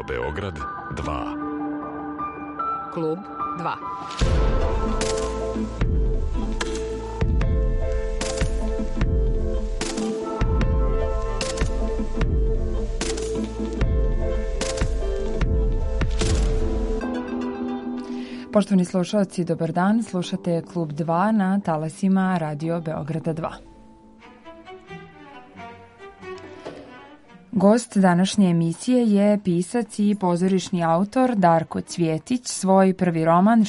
Beograd 2. Klub 2. Poštovani slušalci, dobar dan. Slušate Klub 2 na talasima Radio Beograda 2. Gost današnje emisije je pisac i pozorišni autor Darko Cvjetić. Svoj prvi roman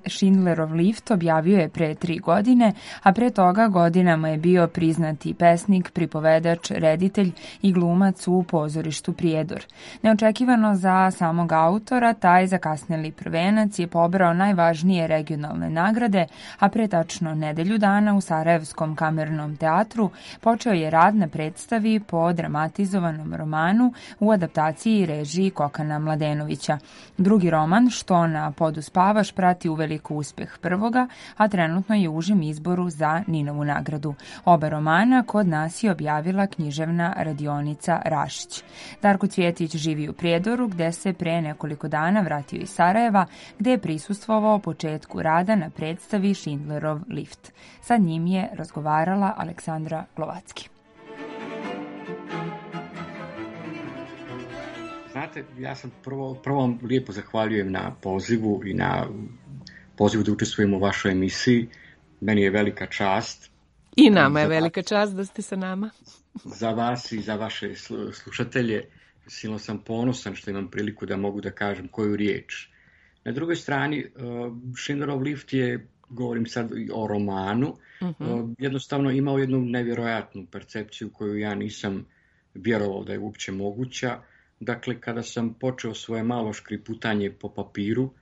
Schindlerov lift objavio je pre 3 godine, a pre toga godinama je bio priznati pesnik, pripovedač, reditelj i glumac u pozorištu Prijedor. Neočekivano za samog autora, taj zakasneli prvenac je pobrao najvažnije regionalne nagrade, a pre tačno nedelju dana u Sarajevskom kamernom teatru počeo je rad na predstavi po dramatizovanom romanu u adaptaciji i režiji Kokana Mladenovića. Drugi roman, Što na podu spavaš, prati uveliko uspeh prvoga, a trenutno je u užem izboru za Ninovu nagradu. Oba romana kod nas je objavila književna radionica Rašić. Darko Cvjetić živi u Prijedoru, gde se pre nekoliko dana vratio iz Sarajeva, gde je prisustvovao početku rada na predstavi Schindlerov lift. Sa njim je razgovarala Aleksandra Glovacki. Znate, ja sam prvo lijepo zahvaljujem na pozivu i na pozivu da učestvujem u vašoj emisiji. Meni je velika čast. I nama je velika čast da ste sa nama. Za vas i za vaše slušatelje. Silno sam ponosan što imam priliku da mogu da kažem koju riječ. Na drugoj strani, Schindlerov lift je, govorim sad o romanu, jednostavno imao jednu nevjerojatnu percepciju koju ja nisam vjerovao da je uopće moguća. Dakle, kada sam počeo svoje malo škriputanje po papiru,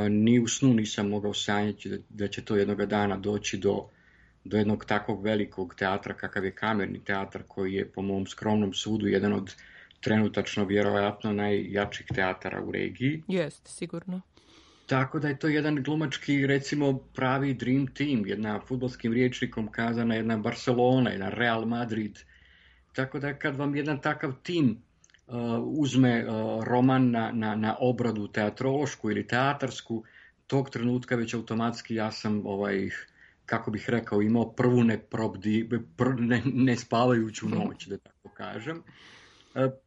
ni u snu nisam mogao sanjati da će to jednoga dana doći do jednog takvog velikog teatra kakav je Kamerni teatar, koji je po mom skromnom sudu jedan od trenutačno vjerojatno najjačih teatara u regiji. Jeste, sigurno. Tako da je to jedan glumački, recimo, pravi dream team, jedna fudbalskim rječnikom kazana, jedna Barcelona, jedan Real Madrid. Tako da kad vam jedan takav tim uzme roman na obradu teatrološku ili teatarsku, tog trenutka već automatski ja sam, kako bih rekao, imao prvu nespavajuću noć, da tako kažem.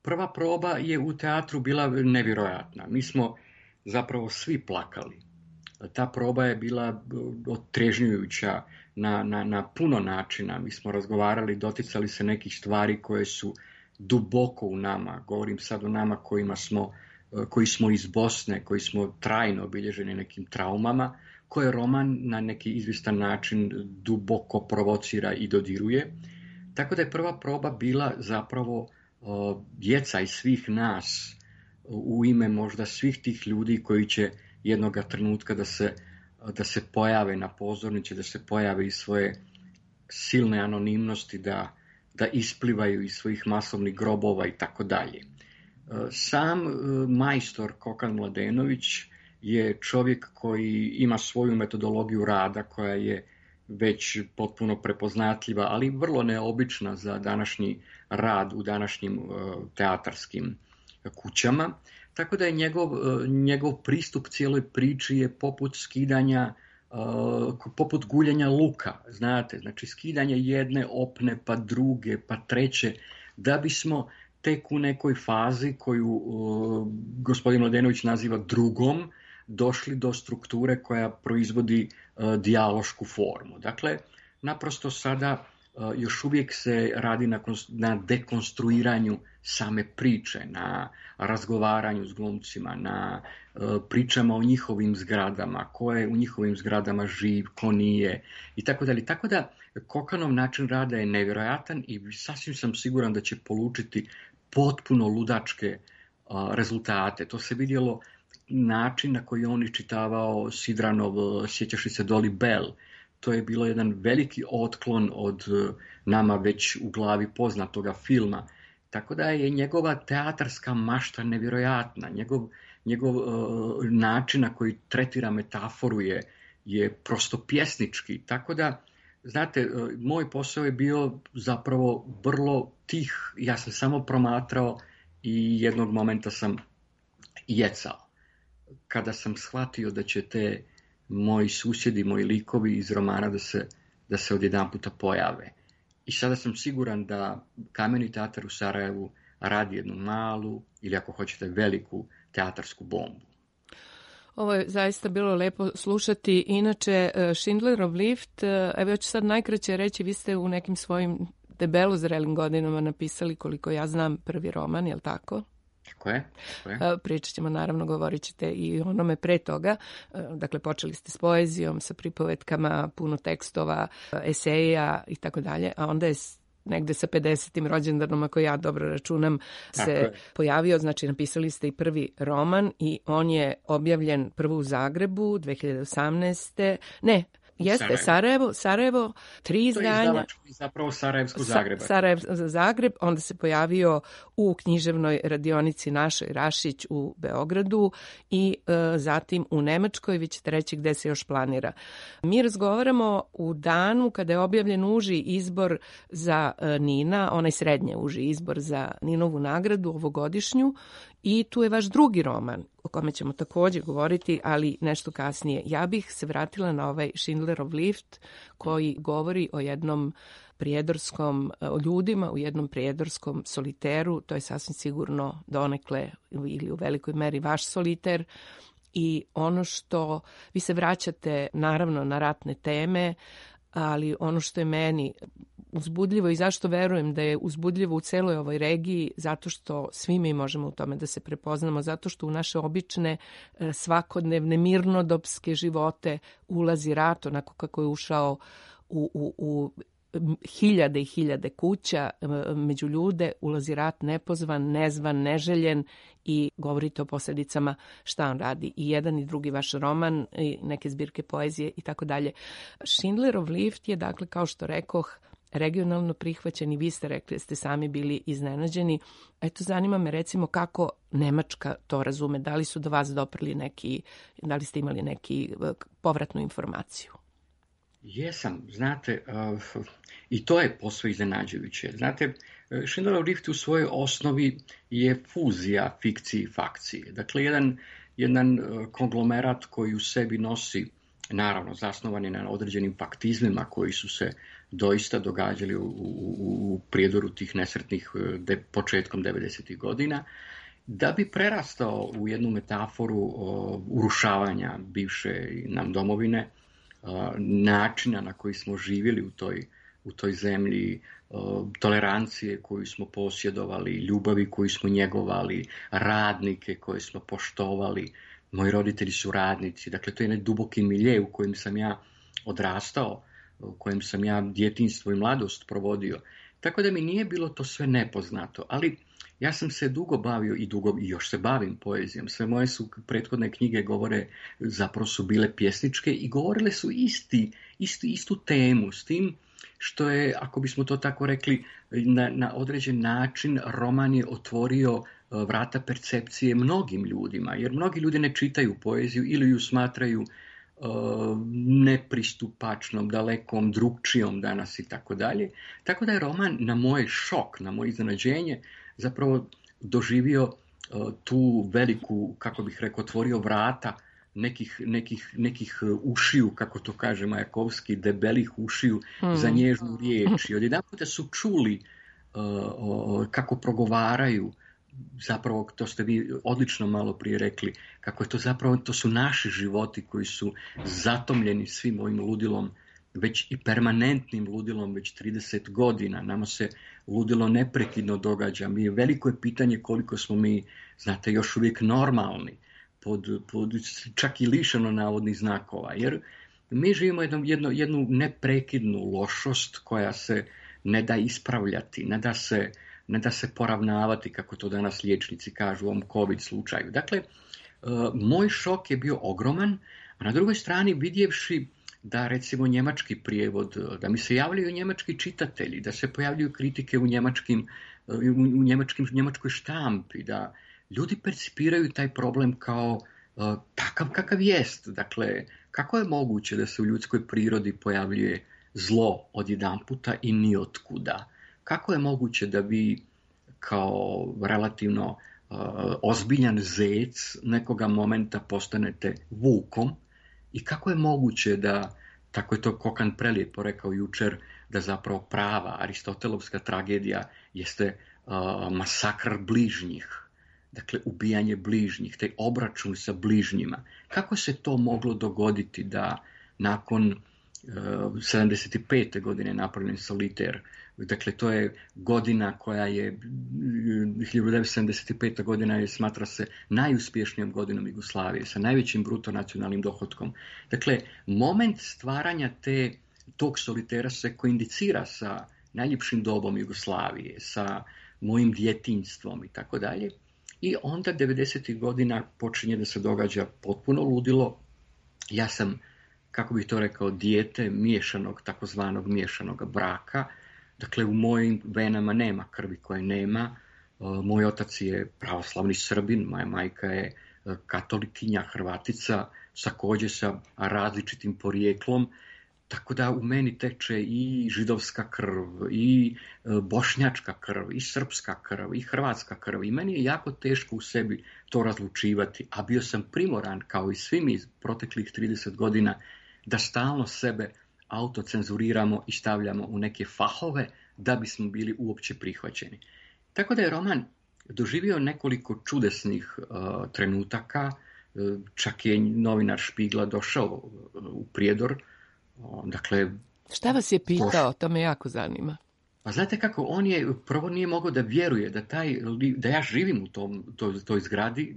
Prva proba je u teatru bila nevjerojatna. Mi smo zapravo svi plakali. Ta proba je bila otrežnjujuća na puno načina. Mi smo razgovarali, doticali se nekih stvari koje su duboko u nama. Govorim sad o nama koji smo iz Bosne, koji smo trajno obilježeni nekim traumama, koje roman na neki izvistan način duboko provocira i dodiruje. Tako da je prva proba bila zapravo jecaj svih nas u ime možda svih tih ljudi koji će jednoga trenutka da se pojave na pozornici, da se pojave iz svoje silne anonimnosti, da isplivaju iz svojih masovnih grobova i tako dalje. Sam majstor Kokan Mladenović je čovjek koji ima svoju metodologiju rada koja je već potpuno prepoznatljiva, ali vrlo neobična za današnji rad u današnjim teatarskim kućama. Tako da je njegov pristup cijeloj priči je poput guljenja luka, znate, znači skidanje jedne opne, pa druge, pa treće, da bismo tek u nekoj fazi koju gospodin Mladenović naziva drugom, došli do strukture koja proizvodi dijalošku formu. Dakle, naprosto sada još uvijek se radi na dekonstruiranju same priče, na razgovaranju s glumcima, na pričama o njihovim zgradama, ko je u njihovim zgradama živ, ko nije i tako dalje. Tako da Kokanov način rada je nevjerojatan i sasvim sam siguran da će polučiti potpuno ludačke rezultate. To se vidjelo način na koji on iščitavao Sidranov Sjećaš li se Dolly Bell. To je bilo jedan veliki otklon od nama već u glavi poznatoga filma. Tako da je njegova teatarska mašta nevjerojatna. Njegov način na koji tretira metaforu je prosto pjesnički. Tako da, znate, moj posao je bio zapravo vrlo tih. Ja sam samo promatrao i jednog momenta sam jecao. Kada sam shvatio da će te moji susjedi, moji likovi iz romana da se odjedanputa pojave. I sada sam siguran da Kameni teatar u Sarajevu radi jednu malu ili ako hoćete veliku teatarsku bombu. Ovo je zaista bilo lepo slušati. Inače, Schindlerov lift, evo ja ću sad najkraće reći, vi ste u nekim svojim debelo zrelim godinama napisali, koliko ja znam, prvi roman, je li tako? Tako je. Pričat ćemo, naravno, govorit ćete i onome pre toga. Dakle, počeli ste s poezijom, sa pripovetkama, puno tekstova, eseja i tako dalje, a onda je negde sa 50. rođendanom, ako ja dobro računam, se pojavio. Znači, napisali ste i prvi roman i on je objavljen prvo u Zagrebu 2018. Ne, jeste, Sarajevo, 3 izdanja. To je zapravo Sarajevsko-Zagrebac. Zagreb, onda se pojavio u književnoj radionici našoj Rašić u Beogradu i zatim u Nemačkoj, vi ćete reći gde se još planira. Mi razgovaramo u danu kada je objavljen uži izbor za Nina, onaj srednje uži izbor za Ninovu nagradu ovogodišnju, i tu je vaš drugi roman, o kome ćemo također govoriti, ali nešto kasnije. Ja bih se vratila na ovaj Schindlerov lift koji govori o jednom prijedorskom, o ljudima u jednom prijedorskom soliteru. To je sasvim sigurno donekle ili u velikoj meri vaš soliter. I ono što vi se vraćate naravno na ratne teme, ali ono što je meni uzbudljivo i zašto verujem da je uzbudljivo u celoj ovoj regiji, zato što svi mi možemo u tome da se prepoznamo, zato što u naše obične svakodnevne mirnodopske živote ulazi rat, onako kako je ušao u hiljade i hiljade kuća, među ljude ulazi rat nepozvan, nezvan, neželjen i govorite o posljedicama šta on radi. I jedan i drugi vaš roman, i neke zbirke poezije i tako dalje. Schindlerov lift je, dakle, kao što rekoh, regionalno prihvaćen i vi ste rekli da ste sami bili iznenađeni. Eto, zanima me recimo kako Nemačka to razume, da li su do vas doprli da li ste imali neki povratnu informaciju? Jesam, znate, i to je posve iznenađujuće. Znate, Schindlerov lift u svojoj osnovi je fuzija fikcije i fakcije. Dakle, jedan konglomerat koji u sebi nosi, naravno, zasnovani na određenim faktizmima koji su se doista događali u prijedoru tih nesretnih početkom 90. godina, da bi prerastao u jednu metaforu urušavanja bivše nam domovine, načina na koji smo živjeli u toj zemlji, tolerancije koju smo posjedovali, ljubavi koju smo njegovali, radnike koje smo poštovali. Moji roditelji su radnici, dakle to je jedan duboki milje u kojem sam ja odrastao, u kojem sam ja djetinjstvo i mladost provodio. Tako da mi nije bilo to sve nepoznato, ali ja sam se dugo bavio i još se bavim poezijom. Sve moje su prethodne knjige zapravo su bile pjesničke i govorile su istu temu, s tim što je, ako bismo to tako rekli, na određen način roman je otvorio vrata percepcije mnogim ljudima, jer mnogi ljudi ne čitaju poeziju ili ju smatraju nepristupačnom, dalekom, drugčijom danas i tako dalje. Tako da je roman na moj šok, na moje iznenađenje zapravo doživio tu veliku, kako bih rekao, otvorio vrata nekih ušiju, kako to kaže Majakovski, debelih ušiju za nježnu riječ. I odjedanputa su čuli kako progovaraju, zapravo to ste vi odlično malo prije rekli, kako je to zapravo, to su naši životi koji su zatomljeni svim ovim ludilom, već i permanentnim ludilom već 30 godina. Nama se ludilo neprekidno događa. Veliko je pitanje koliko smo mi, znate, još uvijek normalni, čak i lišeno navodnih znakova, jer mi živimo jednu neprekidnu lošost koja se ne da ispravljati, ne da se poravnavati, kako to danas liječnici kažu u ovom COVID slučaju. Dakle, moj šok je bio ogroman, a na drugoj strani vidjevši da recimo njemački prijevod, da mi se javljaju njemački čitatelji, da se pojavljuju kritike u njemačkoj štampi, da ljudi percipiraju taj problem kao takav kakav jest. Dakle, kako je moguće da se u ljudskoj prirodi pojavljuje zlo odjedanputa i nijotkuda? Kako je moguće da vi kao relativno ozbiljan zec, nekoga momenta postanete vukom i kako je moguće da, tako je to Kokan prelijepo rekao jučer, da zapravo prava aristotelovska tragedija jeste masakr bližnjih, dakle ubijanje bližnjih, taj obračun sa bližnjima. Kako se to moglo dogoditi da nakon 75. godine napravljen Soliter, dakle to je godina koja je 1975. godina je smatra se najuspješnijom godinom Jugoslavije sa najvećim bruto nacionalnim dohotkom. Dakle, moment stvaranja tog Solitera se koindicira sa najljepšim dobom Jugoslavije, sa mojim djetinjstvom i tako dalje. I onda 90. godina počinje da se događa potpuno ludilo. Ja sam, kako bih to rekao, dijete miješanog, takozvanog miješanog braka. Dakle, u mojim venama nema krvi koje nema. Moj otac je pravoslavni Srbin, moja majka je katolikinja, Hrvatica, također sa različitim porijeklom. Tako da u meni teče i židovska krv, i bošnjačka krv, i srpska krv, i hrvatska krv. I meni je jako teško u sebi to razlučivati, a bio sam primoran, kao i svi mi proteklih 30 godina, da stalno sebe autocenzuriramo i stavljamo u neke fahove da bismo bili uopće prihvaćeni. Tako da je roman doživio nekoliko čudesnih trenutaka, čak je novinar Špigla došao u Prijedor. Dakle, šta vas je pitao? To me jako zanima. Pa znate kako, on je prvo nije mogao da vjeruje da ja živim u toj zgradi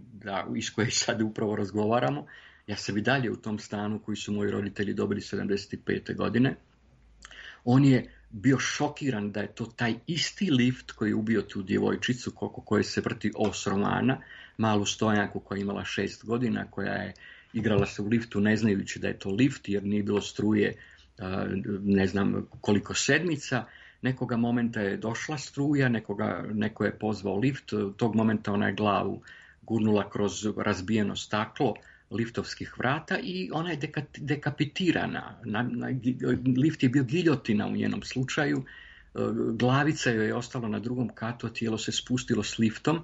iz koje sad upravo razgovaramo. Ja sam i dalje u tom stanu koji su moji roditelji dobili 75. godine. On je bio šokiran da je to taj isti lift koji je ubio tu djevojčicu koje se vrti os romana, malu stojanku koja je imala 6 godina, koja je igrala se u liftu ne znajući da je to lift jer nije bilo struje ne znam koliko sedmica. Nekoga momenta je došla struja, neko je pozvao lift, tog momenta ona je glavu gurnula kroz razbijeno staklo liftovskih vrata i ona je dekapitirana. Lift je bio giljotina u njenom slučaju, glavica joj je ostala na drugom katu, a tijelo se spustilo s liftom.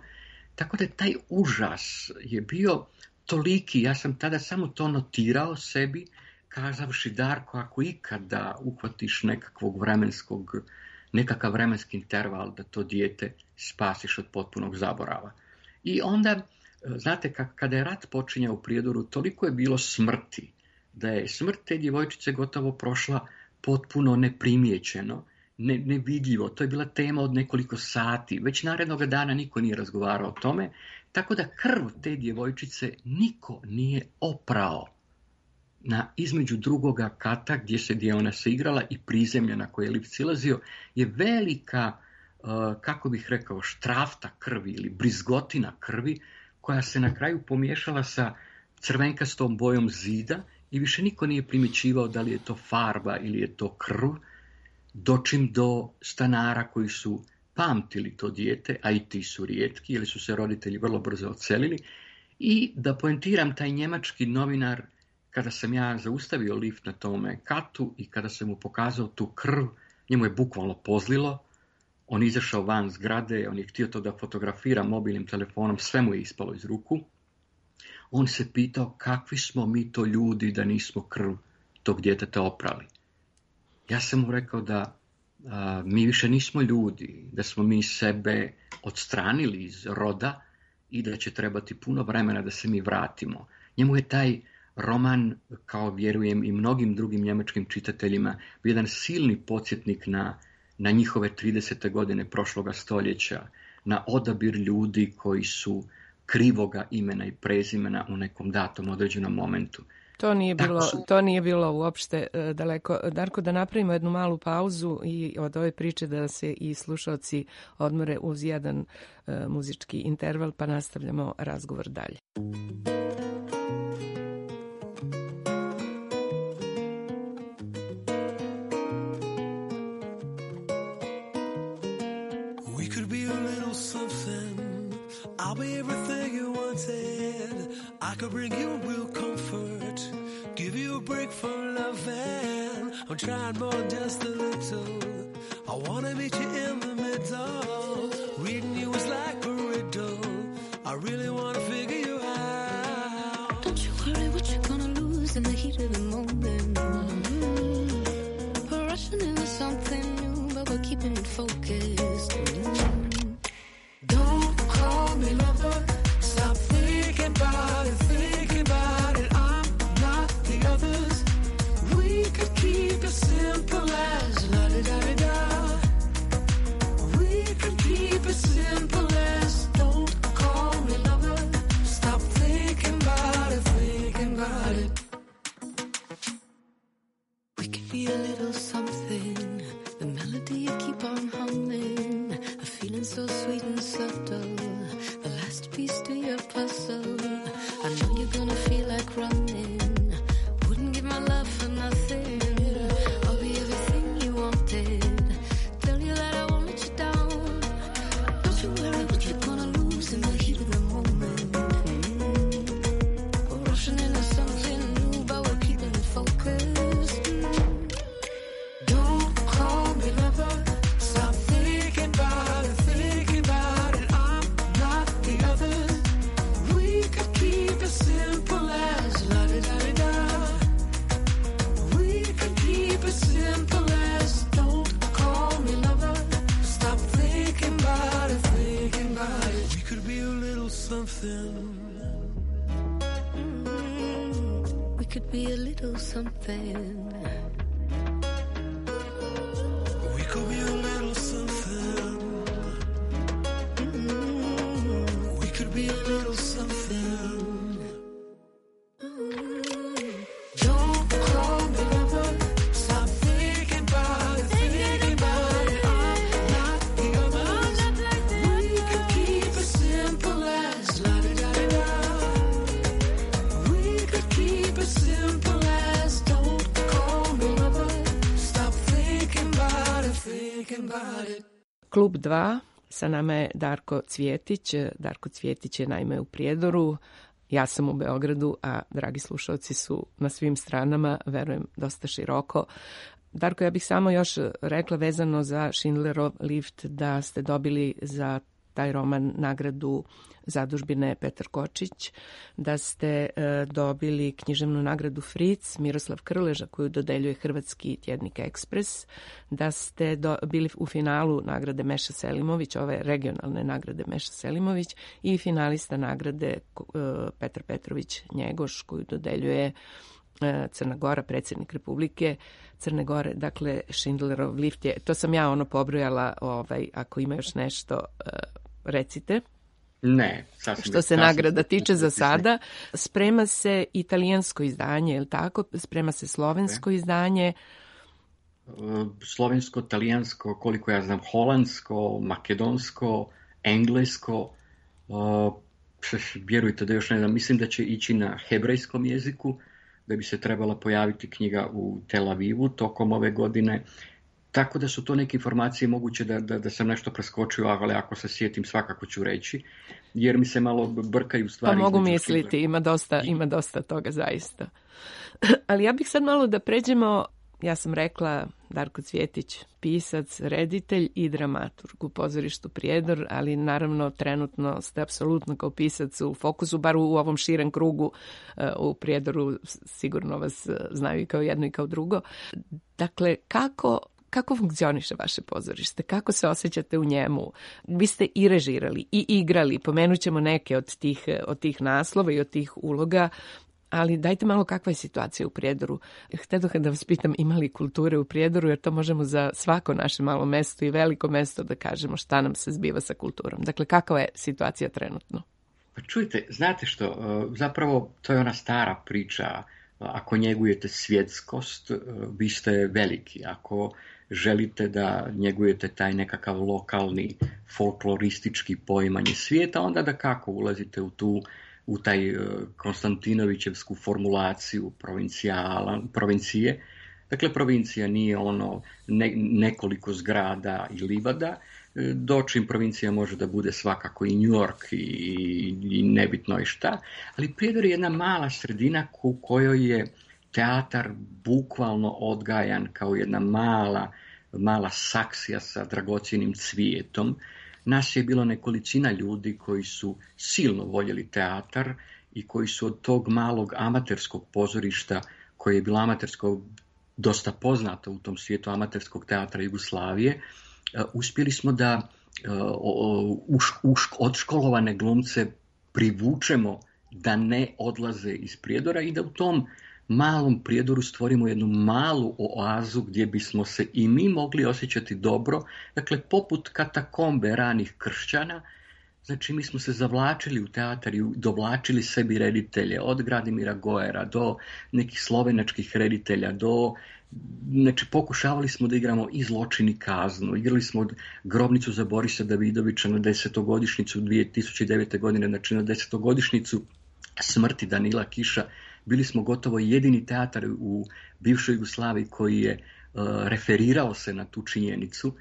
Tako da taj užas je bio toliki, ja sam tada samo to notirao sebi, kazavši Darko, ako ikada uhvatiš nekakav vremenski interval da to dijete spasiš od potpunog zaborava. I onda, znate, kada je rat počinjao u Prijedoru, toliko je bilo smrti, da je smrt te djevojčice gotovo prošla potpuno neprimjećeno, nevidljivo. To je bila tema od nekoliko sati. Već narednog dana niko nije razgovarao o tome, tako da krv te djevojčice niko nije oprao između drugoga kata gdje ona se igrala i prizemlja na koje je lift silazio je velika, kako bih rekao, štrafta krvi ili brizgotina krvi koja se na kraju pomiješala sa crvenkastom bojom zida i više niko nije primjećivao da li je to farba ili je to krv, dočim do stanara koji su pamtili to dijete, a i ti su rijetki jer su se roditelji vrlo brzo odselili. I da poentiram, taj njemački novinar, kada sam ja zaustavio lift na tome katu i kada sam mu pokazao tu krv, njemu je bukvalno pozlilo. On izašao van zgrade, on je htio to da fotografira mobilnim telefonom, sve mu je ispalo iz ruku. On se pitao kakvi smo mi to ljudi da nismo krv tog djeteta oprali. Ja sam mu rekao da mi više nismo ljudi, da smo mi sebe odstranili iz roda i da će trebati puno vremena da se mi vratimo. Njemu je taj roman, kao vjerujem i mnogim drugim njemačkim čitateljima, bio jedan silni podsjetnik na njihove 30. godine prošloga stoljeća, na odabir ljudi koji su krivoga imena i prezimena u nekom datom određenom momentu. To nije bilo uopšte daleko. Darko, da napravimo jednu malu pauzu i od ove priče da se i slušalci odmore uz jedan muzički interval, pa nastavljamo razgovor dalje. I could bring you real comfort, give you a break from loving. I'm trying more than just a little. I wanna meet you in the middle. Reading you is like a riddle. I really want to figure you out. Don't you worry what you're gonna lose in the heat of the moment. We're rushing into something new, but we're keeping it focused. Don't call me lover. Stop thinking about it, thinking about it. I'm not the others. We could keep it simple as la-di-da-di-da. We could keep it simple as don't call me lover. Stop thinking about it, thinking about it. We could be a little something. The melody you keep on humming. A feeling so sweet and subtle. The last piece to your puzzle. I know you're gonna feel like running. Wouldn't give my love for nothing. I'll be everything you wanted. Tell you that I won't let you down. Don't you worry what you're gonna lose in the heat of the moment. We're rushing into something new, but we're keeping it focused. Don't call me lover. Stop thinking about it, thinking about it. I'm not the others. We could keep it simple as la-di-da-di-da. We could keep it simple as don't call me lover. Stop thinking about it, thinking about it. We could be a little something. We could be a little something. We could be a little something. We could be a little something. Don't call me lover. Stop thinking about it, thinking about it. I'm not the others. We could keep it simple as la-di-da-di-da. We could keep it simple as don't call me lover. Stop thinking about it, thinking about it. Klub 2, sa nama je Darko Cvjetić. Darko Cvjetić je naime u Prijedoru, ja sam u Beogradu, a dragi slušalci su na svim stranama, verujem, dosta široko. Darko, ja bih samo još rekla vezano za Schindlerov lift da ste dobili za taj roman nagradu zadužbine Petar Kočić, da ste dobili književnu nagradu Fritz, Miroslav Krleža koju dodeljuje hrvatski tjednik Ekspres, da ste bili u finalu nagrade Meša Selimović, ove regionalne nagrade Meša Selimović i finalista nagrade Petar Petrović Njegoš koju dodeljuje Crna Gora, predsjednik Republike Crne Gore. Dakle, Schindlerov lift je, to sam ja pobrojala, ako ima još nešto, recite. Ne, što se nagrada tiče za sada. Sprema se italijansko izdanje, je li tako? Sprema se slovensko izdanje. Slovensko, talijansko, koliko ja znam, holandsko, makedonsko, englesko. Vjerujte da još ne znam, mislim da će ići na hebrejskom jeziku, da bi se trebala pojaviti knjiga u Tel Avivu tokom ove godine. Tako da su to neke informacije moguće da sam nešto preskočio, ali ako se sjetim svakako ću reći, jer mi se malo brkaju stvari. Pa mogu misliti, ima dosta toga zaista. Ali ja bih sad malo da pređemo, ja sam rekla Darko Cvjetić, pisac, reditelj i dramaturg u pozorištu Prijedor, ali naravno trenutno ste apsolutno kao pisac u fokusu, bar u ovom širem krugu u Prijedoru, sigurno vas znaju i kao jedno i kao drugo. Dakle, kako funkcioniše vaše pozorište? Kako se osjećate u njemu? Vi ste i režirali i igrali, pomenut ćemo neke od tih naslova i od tih uloga, ali dajte malo kakva je situacija u Prijedoru. Htjedoh da vas pitam, ima li kulture u Prijedoru, jer to možemo za svako naše malo mesto i veliko mesto da kažemo šta nam se zbiva sa kulturom. Dakle, kakva je situacija trenutno? Pa čujte, znate što, zapravo to je ona stara priča. Ako njegujete svjetskost, vi ste veliki. Ako želite da njegujete taj nekakav lokalni folkloristički poimanje svijeta, onda da kako ulazite u taj Konstantinovićevsku formulaciju provincije. Dakle, provincija nije nekoliko zgrada i livada, dočim provincija može da bude svakako i New York i nebitno i šta, ali Prijedor je jedna mala sredina u kojoj je teatar bukvalno odgajan kao jedna mala saksija sa dragocjenim cvijetom. Nas je bilo nekolicina ljudi koji su silno voljeli teatar i koji su od tog malog amaterskog pozorišta, koje je bilo amatersko dosta poznato u tom svijetu amaterskog teatra Jugoslavije, uspjeli smo da odškolovane glumce privučemo da ne odlaze iz Prijedora i da u tom malom Prijedoru stvorimo jednu malu oazu gdje bismo se i mi mogli osjećati dobro, dakle poput katakombe ranih kršćana. Znači mi smo se zavlačili u teatar i dovlačili sebi reditelje, od Gradimira Gojera do nekih slovenačkih reditelja, znači pokušavali smo da igramo i Zločin i kaznu, igrali smo Grobnicu za Borisa Davidovića na 10-godišnjicu 2009. godine, znači na 10-godišnjicu smrti Danila Kiša. Bili smo gotovo jedini teatar u bivšoj Jugoslaviji koji je referirao se na tu činjenicu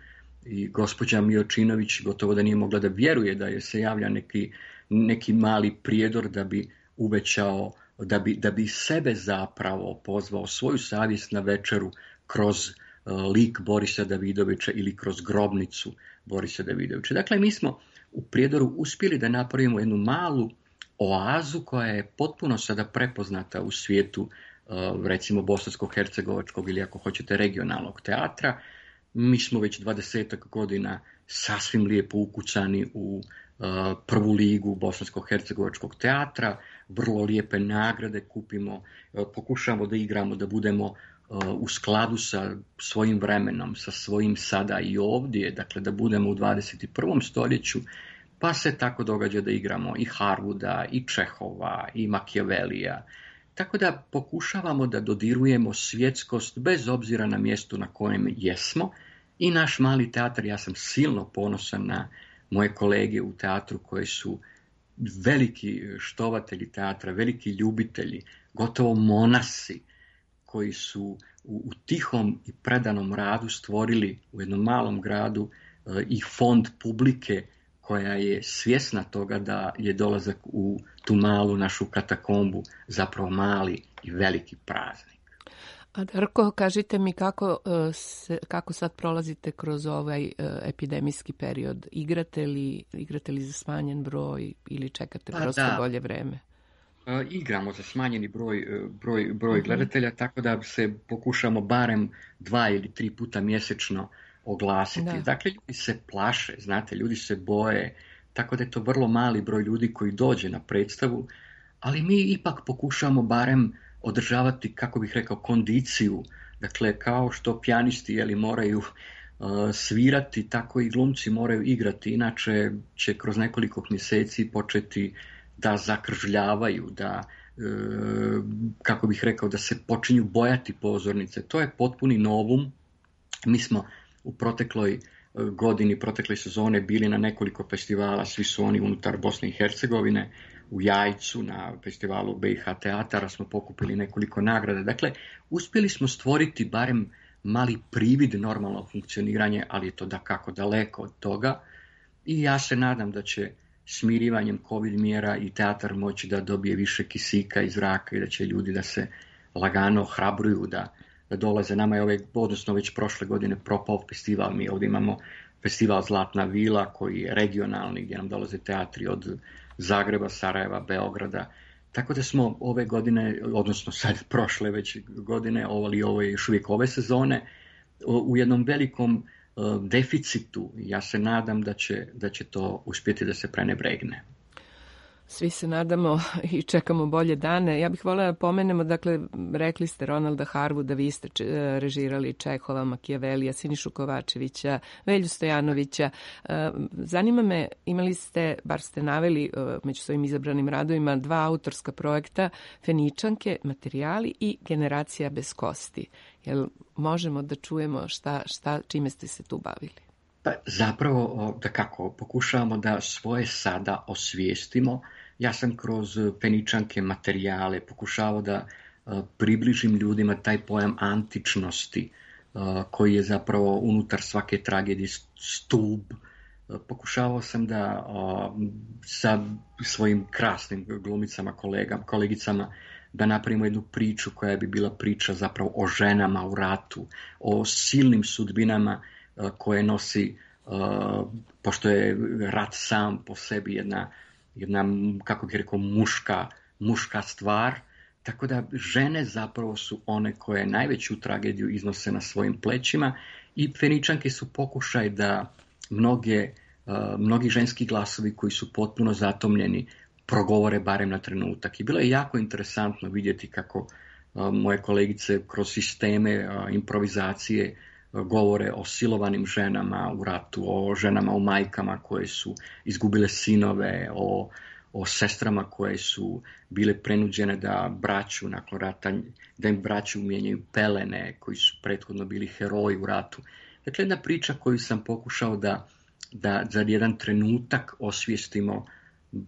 i gospođa Miočinović gotovo da nije mogla da vjeruje da je se javlja neki mali Prijedor da bi uvećao, da bi sebe zapravo pozvao, svoju savjest na večeru kroz lik Borisa Davidovića ili kroz Grobnicu Borisa Davidovića. Dakle, mi smo u Prijedoru uspjeli da napravimo jednu malu oazu koja je potpuno sada prepoznata u svijetu, recimo bosansko-hercegovačkog ili ako hoćete regionalnog teatra. Mi smo već 20 godina sasvim lijepo ukucani u prvu ligu bosansko-hercegovačkog teatra, vrlo lijepe nagrade kupimo, pokušamo da igramo, da budemo u skladu sa svojim vremenom, sa svojim sada i ovdje, dakle da budemo u 21. stoljeću, pa se tako događa da igramo i Harwooda, i Čehova, i Machiavellija. Tako da pokušavamo da dodirujemo svjetskost bez obzira na mjestu na kojem jesmo. I naš mali teatar, ja sam silno ponosan na moje kolege u teatru koji su veliki štovatelji teatra, veliki ljubitelji, gotovo monasi koji su u tihom i predanom radu stvorili u jednom malom gradu i fond publike koja je svjesna toga da je dolazak u tu malu našu katakombu zapravo mali i veliki praznik. A Darko, kažite mi kako sad prolazite kroz ovaj epidemijski period? Igrate li za smanjen broj ili čekate prosto bolje vreme? Igramo za smanjeni broj gledatelja, tako da se pokušamo barem 2 ili 3 puta mjesečno oglasiti. Da. Dakle, ljudi se plaše, znate, ljudi se boje, tako da je to vrlo mali broj ljudi koji dođe na predstavu, ali mi ipak pokušamo barem održavati, kako bih rekao, kondiciju. Dakle, kao što pijanisti moraju svirati, tako i glumci moraju igrati, inače će kroz nekoliko mjeseci početi da zakržljavaju, da, kako bih rekao, da se počinju bojati pozornice. To je potpuni novum. Mi smo u protekloj sezone bili na nekoliko festivala, svi su oni unutar Bosne i Hercegovine, u Jajcu, na festivalu BiH teatara smo pokupili nekoliko nagrada. Dakle, uspjeli smo stvoriti barem mali privid normalnog funkcioniranja, ali je to dakako daleko od toga. I ja se nadam da će smirivanjem COVID mjera i teatar moći da dobije više kisika iz zraka i da će ljudi da se lagano hrabruju da dolaze. Nama je odnosno već prošle godine propao festival. Mi ovdje imamo festival Zlatna vila koji je regionalni, gdje nam dolaze teatri od Zagreba, Sarajeva, Beograda. Tako da smo ove godine, odnosno sad prošle već godine, ovo je još uvijek ove sezone, u jednom velikom deficitu. Ja se nadam da će to uspjeti da se prenebregne. Svi se nadamo i čekamo bolje dane. Ja bih voljela da pomenemo, dakle, rekli ste Ronalda Harwooda, vi ste režirali Čehova, Machiavellija, Sinišu Kovačevića, Velju Stojanovića. Zanima me, imali ste, bar ste naveli među svojim izabranim radovima, 2 autorska projekta, Feničanke, Materijali i Generacija bez kosti. Jel možemo da čujemo čime ste se tu bavili? Pa zapravo, dakako, pokušavamo da svoje sada osvijestimo. Ja sam kroz Feničanke, Materijale pokušavao da približim ljudima taj pojam antičnosti koji je zapravo unutar svake tragedije stup. Pokušavao sam da sa svojim krasnim glumicama, kolegicama da napravimo jednu priču koja bi bila priča zapravo o ženama u ratu, o silnim sudbinama koje nosi pošto je rat sam po sebi jedna kako bih rekao, muška stvar, tako da žene zapravo su one koje najveću tragediju iznose na svojim plećima i Feničanke su pokušaj da mnogi ženski glasovi koji su potpuno zatomljeni progovore barem na trenutak. I bilo je jako interesantno vidjeti kako moje kolegice kroz sisteme improvizacije govore o silovanim ženama u ratu, o ženama u majkama koje su izgubile sinove, o sestrama koje su bile prenuđene da braću nakon rata, da im braću mijenjaju pelene, koji su prethodno bili heroji u ratu. Dakle, jedna priča koju sam pokušao da za jedan trenutak osvijestimo,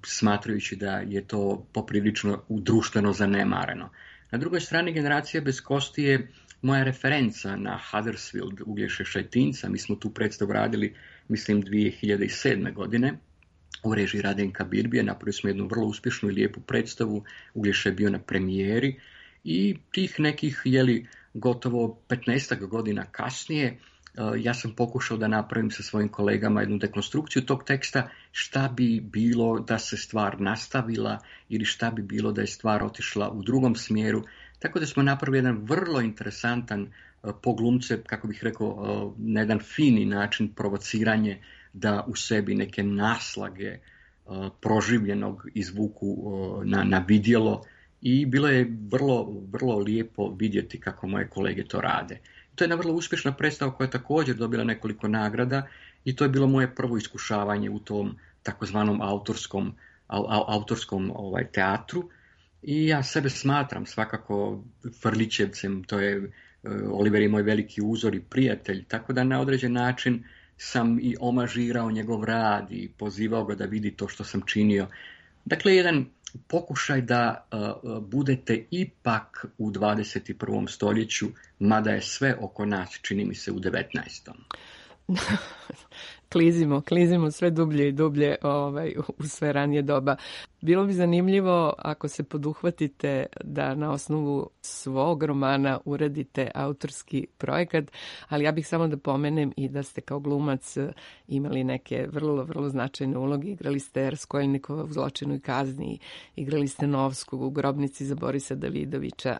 smatrajući da je to poprilično društveno zanemareno. Na drugoj strani, Generacija bez kosti je moja referenca na Huddersfield Uglješe Šajtinca. Mi smo tu predstavu radili, mislim, 2007. godine u režiji Radenka Birbije. Napravili smo jednu vrlo uspješnu i lijepu predstavu. Uglješa je bio na premijeri i tih nekih, gotovo 15 godina kasnije, ja sam pokušao da napravim sa svojim kolegama jednu dekonstrukciju tog teksta, šta bi bilo da se stvar nastavila ili šta bi bilo da je stvar otišla u drugom smjeru. Tako da smo napravili jedan vrlo interesantan po glumce, kako bih rekao, na jedan fini način provociranje da u sebi neke naslage proživljenog izvuku na vidjelo i bilo je vrlo, vrlo lijepo vidjeti kako moje kolege to rade. To je jedna vrlo uspješna predstava koja je također dobila nekoliko nagrada i to je bilo moje prvo iskušavanje u tom takozvanom autorskom teatru. I ja sebe smatram svakako Frlićevcem, to je Oliver je moj veliki uzor i prijatelj, tako da na određen način sam i omažirao njegov rad i pozivao ga da vidi to što sam činio. Dakle, jedan pokušaj da budete ipak u 21. stoljeću, mada je sve oko nas, čini mi se, u 19. Klizimo sve dublje i dublje u sve ranije doba. Bilo bi zanimljivo ako se poduhvatite da na osnovu svog romana uradite autorski projekat, ali ja bih samo da pomenem i da ste kao glumac imali neke vrlo, vrlo značajne uloge. Igrali ste Raskolnikova u Zločinu i kazni, igrali ste Novskog u Grobnici za Borisa Davidovića,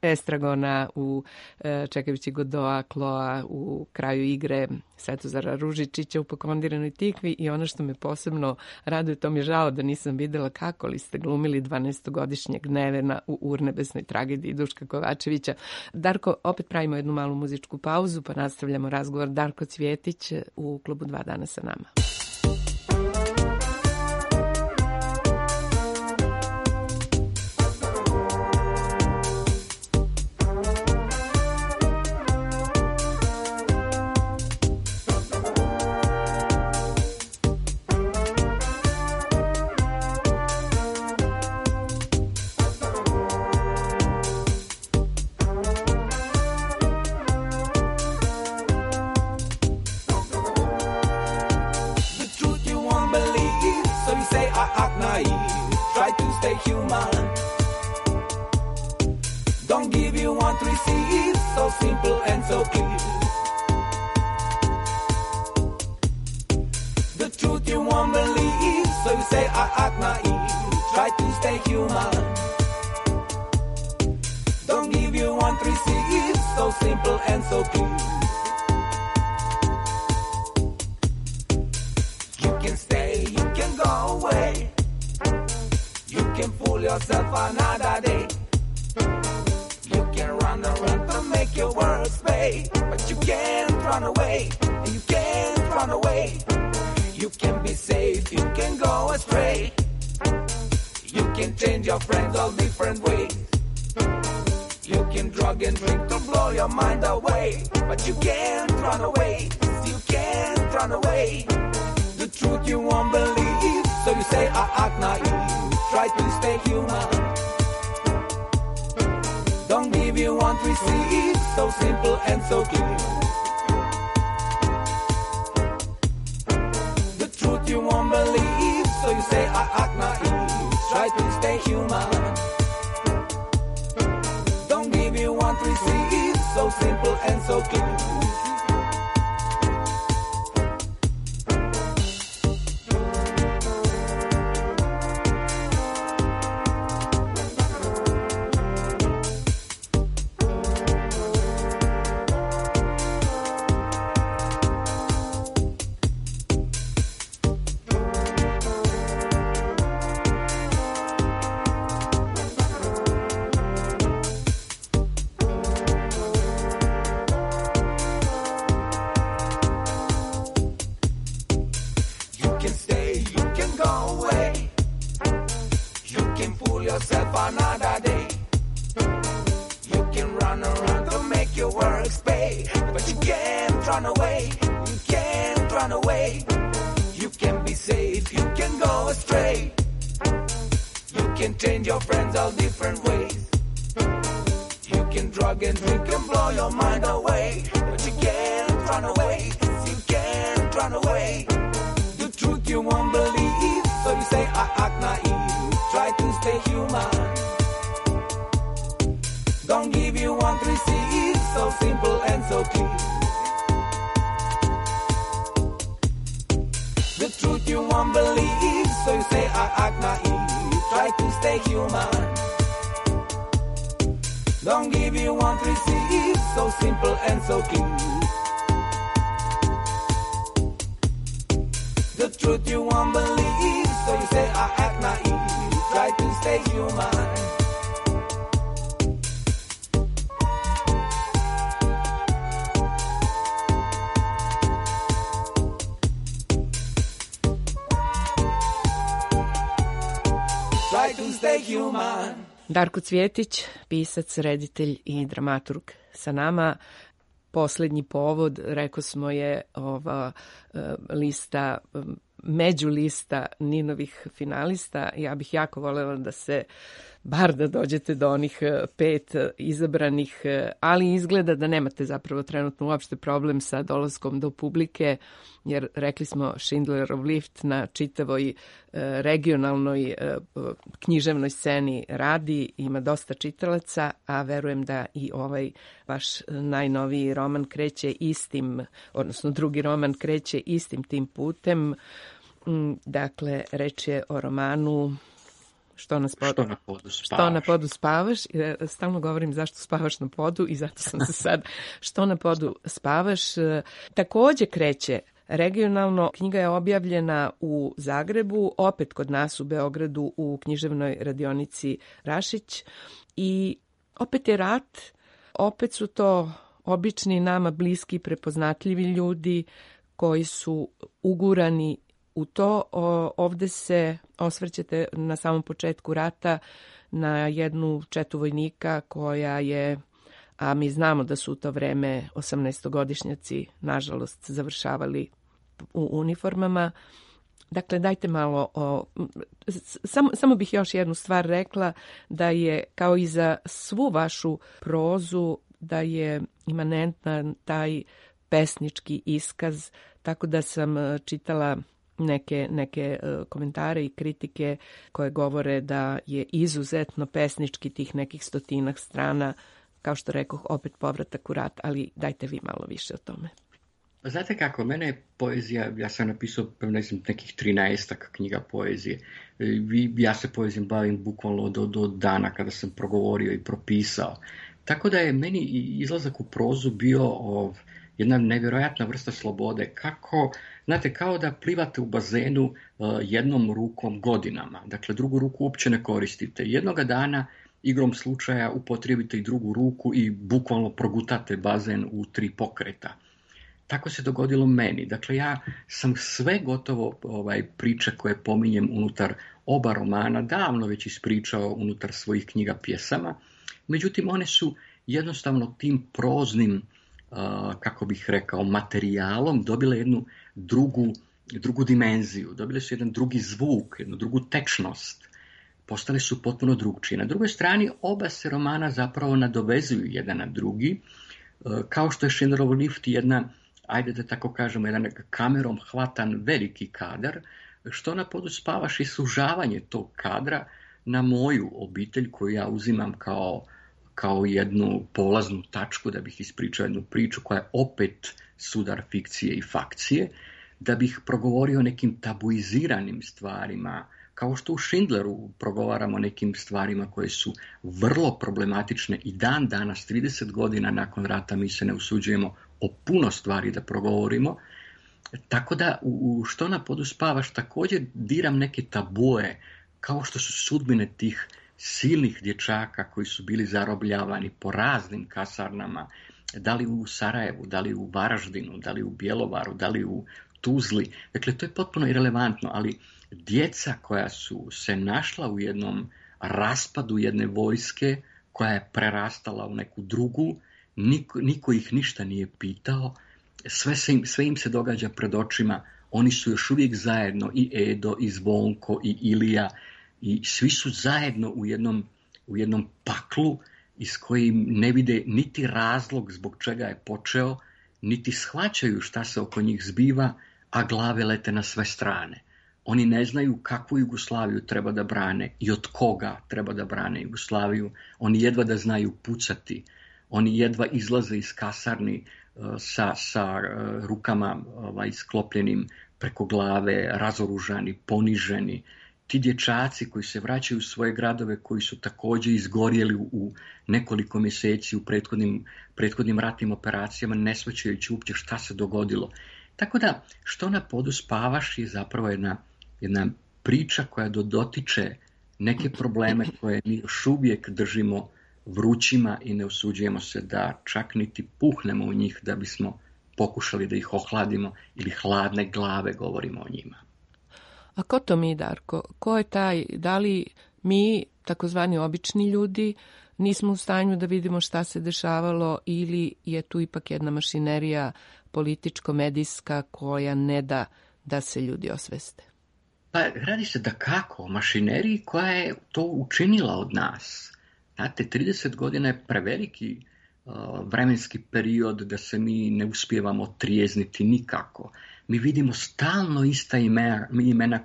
Estragona u Čekajući Godoa, Kloa u Kraju igre, Svetozara Ružičića u Pokondiranoj tikvi i ono što me posebno raduje, to mi je žao da nisam videla kako li ste glumili 12-godišnjeg Nevena u Urnebesnoj tragediji Duška Kovačevića. Darko, opet pravimo jednu malu muzičku pauzu pa nastavljamo razgovor. Darko Cvjetić u klubu 2 dana sa nama. yourself another day. You can run around to make your works pay, but you can't run away. You can't run away. You can be safe, you can go astray. You can change your friends all different ways. You can drug and drink and blow your mind away, but you can't run away. You can't run away. The truth you won't believe, so you say I act naive. Try to stay human. Don't give you want to receive, so simple and so clear. The truth you won't believe, so you say I act naive. Try to stay human. Don't give you want to receive, so simple and so clear. The truth you won't believe, so you say I act naive. Try to stay human. Try to stay human. Darko Cvjetić, pisac, reditelj i dramaturg sa nama. Poslednji povod, rekao smo, je ova lista, međulista Ninovih finalista. Ja bih jako voljela da se bar da dođete do onih 5 izabranih, ali izgleda da nemate zapravo trenutno uopšte problem sa dolaskom do publike, jer rekli smo Schindlerov lift na čitavoj regionalnoj književnoj sceni radi, ima dosta čitalaca, a verujem da i ovaj vaš najnoviji roman kreće istim, odnosno drugi roman kreće istim tim putem. Dakle, reč je o romanu Što na podu spavaš. Stalno govorim zašto spavaš na podu i zato sam se sad Što na podu spavaš. Takođe kreće regionalno. Knjiga je objavljena u Zagrebu, opet kod nas u Beogradu u književnoj radionici Rašić. I opet je rat, opet su to obični, nama bliski, prepoznatljivi ljudi koji su ugurani u to. Ovde se osvrćete na samom početku rata na jednu četu vojnika koja je, a mi znamo da su u to vreme 18-godišnjaci, nažalost, završavali u uniformama. Dakle, dajte malo samo bih još jednu stvar rekla, da je kao i za svu vašu prozu, da je imanentan taj pesnički iskaz, tako da sam čitala neke komentare i kritike koje govore da je izuzetno pesnički tih nekih 100 strana, kao što rekoh, opet povratak u rat, ali dajte vi malo više o tome. Znate kako, mene je poezija, ja sam napisao nekih 13 knjiga poezije. Ja se poezijom bavim bukvalno do dana kada sam progovorio i propisao. Tako da je meni izlazak u prozu bio jedna nevjerojatna vrsta slobode. Znate, kao da plivate u bazenu jednom rukom godinama. Dakle, drugu ruku uopće ne koristite. Jednoga dana, igrom slučaja, upotrijebite i drugu ruku i bukvalno progutate bazen u 3 pokreta. Tako se dogodilo meni. Dakle, ja sam sve gotovo priče koje pominjem unutar oba romana davno već ispričao unutar svojih knjiga pjesama. Međutim, one su jednostavno tim proznim, kako bih rekao, materijalom dobile jednu drugu dimenziju, dobile su jedan drugi zvuk, jednu drugu tečnost. Postale su potpuno drugčije. Na drugoj strani oba se romana zapravo nadovezuju jedan na drugi, kao što je Schindlerov lift jedna, ajde da tako kažemo, jedan kamerom hvatan veliki kadar, Što na podu spavaš i sužavanje tog kadra na moju obitelj koju ja uzimam kao jednu polaznu tačku da bih ispričao jednu priču koja je opet sudar fikcije i fakcije, da bih progovorio o nekim tabuiziranim stvarima, kao što u Schindleru progovaramo nekim stvarima koje su vrlo problematične i dan danas, 30 godina nakon rata, mi se ne usuđujemo o puno stvari da progovorimo. Tako da u Što na podu spavaš također diram neke tabue, kao što su sudbine tih silnih dječaka koji su bili zarobljavani po raznim kasarnama, da li u Sarajevu, da li u Varaždinu, da li u Bjelovaru, da li u Tuzli. Dakle, to je potpuno irelevantno, ali djeca koja su se našla u jednom raspadu jedne vojske koja je prerastala u neku drugu, niko ih ništa nije pitao, sve im se događa pred očima, oni su još uvijek zajedno, i Edo, i Zvonko, i Ilija, i svi su zajedno u jednom paklu iz kojim ne vide niti razlog zbog čega je počeo, niti shvaćaju šta se oko njih zbiva, a glave lete na sve strane. Oni ne znaju kakvu Jugoslaviju treba da brane i od koga treba da brane Jugoslaviju. Oni jedva da znaju pucati. Oni jedva izlaze iz kasarni sa rukama sklopljenim preko glave, razoružani, poniženi. Ti dječaci koji se vraćaju u svoje gradove, koji su također izgorjeli u nekoliko mjeseci u prethodnim ratnim operacijama, ne shvaćajući uopće šta se dogodilo. Tako da, što na podu spavaš je zapravo jedna priča koja dotiče neke probleme koje mi još uvijek držimo vrućima i ne usuđujemo se da čak niti puhnemo u njih da bismo pokušali da ih ohladimo ili hladne glave govorimo o njima. A ko to mi, Darko? Ko je taj? Da li mi, takozvani obični ljudi, nismo u stanju da vidimo šta se dešavalo ili je tu ipak jedna mašinerija političko-medijska koja ne da da se ljudi osveste? Pa radi se da kako o mašineriji koja je to učinila od nas. Znate, 30 godina je preveliki vremenski period da se mi ne uspijevamo trijezniti nikako. Mi vidimo stalno ista imena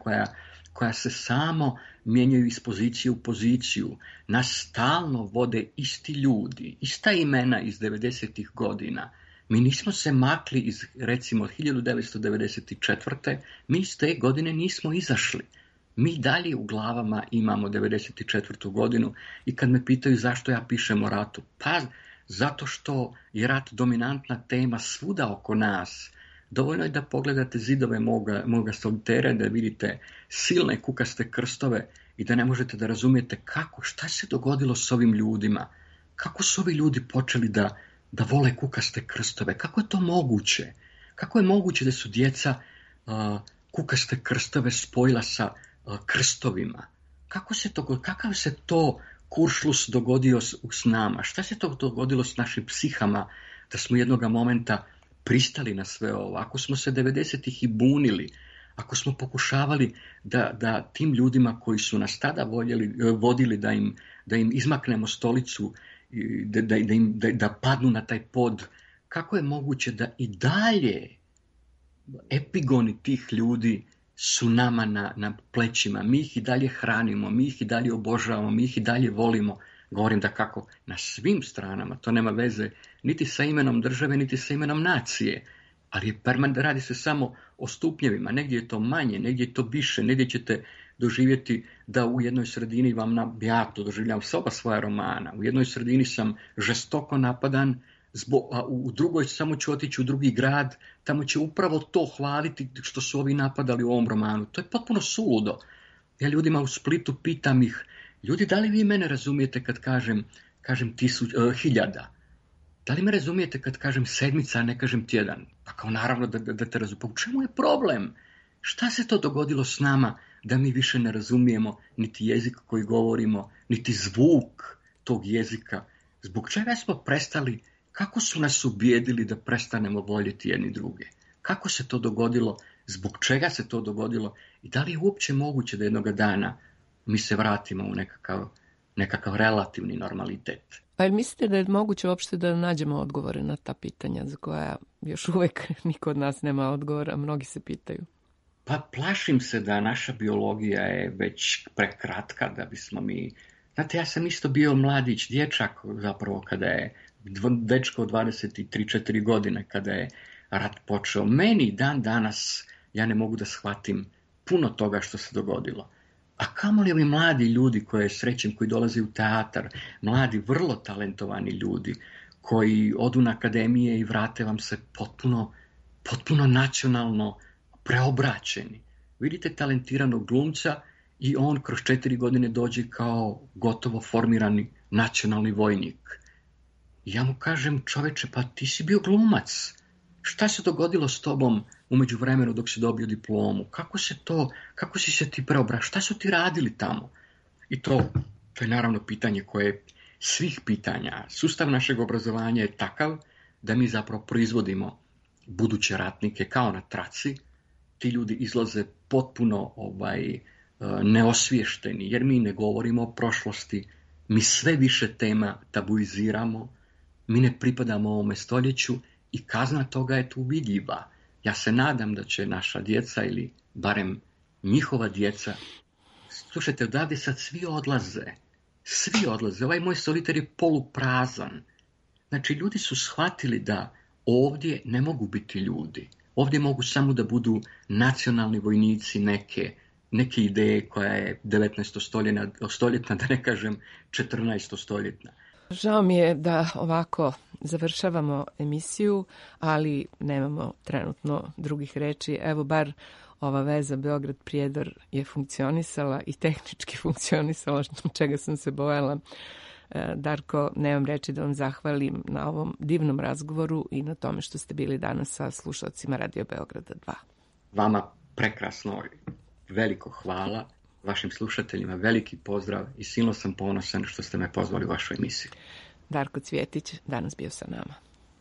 koja se samo mijenjaju iz pozicije u poziciju. Nas stalno vode isti ljudi, ista imena iz 90. godina. Mi nismo se makli iz, recimo, 1994. Mi iz te godine nismo izašli. Mi dalje u glavama imamo 94. godinu i kad me pitaju zašto ja pišem o ratu, pa zato što je rat dominantna tema svuda oko nas. Dovoljno je da pogledate zidove moga solitera, da vidite silne kukaste krstove i da ne možete da razumijete šta se dogodilo s ovim ljudima. Kako su ovi ljudi počeli da vole kukaste krstove? Kako je to moguće? Kako je moguće da su djeca kukaste krstove spojila sa krstovima? Kakav se to kuršlus dogodio s nama? Šta se to dogodilo s našim psihama da smo jednoga momenta pristali na sve ovo? Ako smo se 90-ih i bunili, ako smo pokušavali da tim ljudima koji su nas tada vodili da im izmaknemo stolicu, da padnu na taj pod, kako je moguće da i dalje epigoni tih ljudi su nama na plećima? Mi ih i dalje hranimo, mi ih i dalje obožavamo, mi ih i dalje volimo. Govorim da kako na svim stranama, to nema veze niti sa imenom države, niti sa imenom nacije, ali radi se samo o stupnjevima. Negdje je to manje, negdje je to više, negdje ćete doživjeti da u jednoj sredini ja to doživljam s oba svoja romana, u jednoj sredini sam žestoko napadan, a u drugoj samo ću otići u drugi grad, tamo će upravo to hvaliti što su ovi napadali u ovom romanu. To je potpuno suludo. Ja ljudima u Splitu pitam ih, ljudi, da li vi mene razumijete kad kažem 1000? Da li me razumijete kad kažem 7, a ne kažem tjedan? Pa kao naravno da te razumijem. Pa u čemu je problem? Šta se to dogodilo s nama da mi više ne razumijemo niti jezik koji govorimo, niti zvuk tog jezika? Zbog čega smo prestali? Kako su nas ubijedili da prestanemo voljeti jedni druge? Kako se to dogodilo? Zbog čega se to dogodilo? I da li je uopće moguće da jednoga dana mi se vratimo u nekakav relativni normalitet? A jel mislite da je moguće uopšte da nađemo odgovore na ta pitanja za koja još uvijek niko od nas nema odgovora, mnogi se pitaju? Pa plašim se da naša biologija je već prekratka da bismo mi... Znate, ja sam isto bio mladić, dječak zapravo kada je dečko od 23-4 godine kada je rat počeo. Meni dan danas ja ne mogu da shvatim puno toga što se dogodilo. A kamoli ovi mladi ljudi koje srećem, koji dolaze u teatar, mladi, vrlo talentovani ljudi, koji odu na akademije i vrate vam se potpuno nacionalno preobraćeni. Vidite talentiranog glumca i on kroz 4 godine dođe kao gotovo formirani nacionalni vojnik. I ja mu kažem, čoveče, pa ti si bio glumac. Šta se dogodilo s tobom u međuvremenu dok si dobio diplomu? Kako si se ti preobraćao? Šta su ti radili tamo? I to To je naravno pitanje koje svih pitanja. Sustav našeg obrazovanja je takav da mi zapravo proizvodimo buduće ratnike kao na traci. Ti ljudi izlaze potpuno neosviješteni, jer mi ne govorimo o prošlosti, mi sve više tema tabuiziramo, mi ne pripadamo ovome stoljeću i kazna toga je tu vidljiva. Ja se nadam da će naša djeca ili barem njihova djeca, slušajte, odavde sad svi odlaze, ovaj moj solitar je poluprazan. Znači, ljudi su shvatili da ovdje ne mogu biti ljudi, ovdje mogu samo da budu nacionalni vojnici neke ideje koja je 19. stoljetna, da ne kažem 14. stoljetna. Žao mi je da ovako završavamo emisiju, ali nemamo trenutno drugih reči. Evo, bar ova veza Beograd-Prijedor je funkcionisala i tehnički funkcionisala, čega sam se bojala. Darko, nemam reči da vam zahvalim na ovom divnom razgovoru i na tome što ste bili danas sa slušalcima Radio Beograda 2. Vama prekrasno, veliko hvala, vašim slušateljima veliki pozdrav i silno sam ponosan što ste me pozvali u vašu emisiju. Darko Cvjetić danas bio sa nama.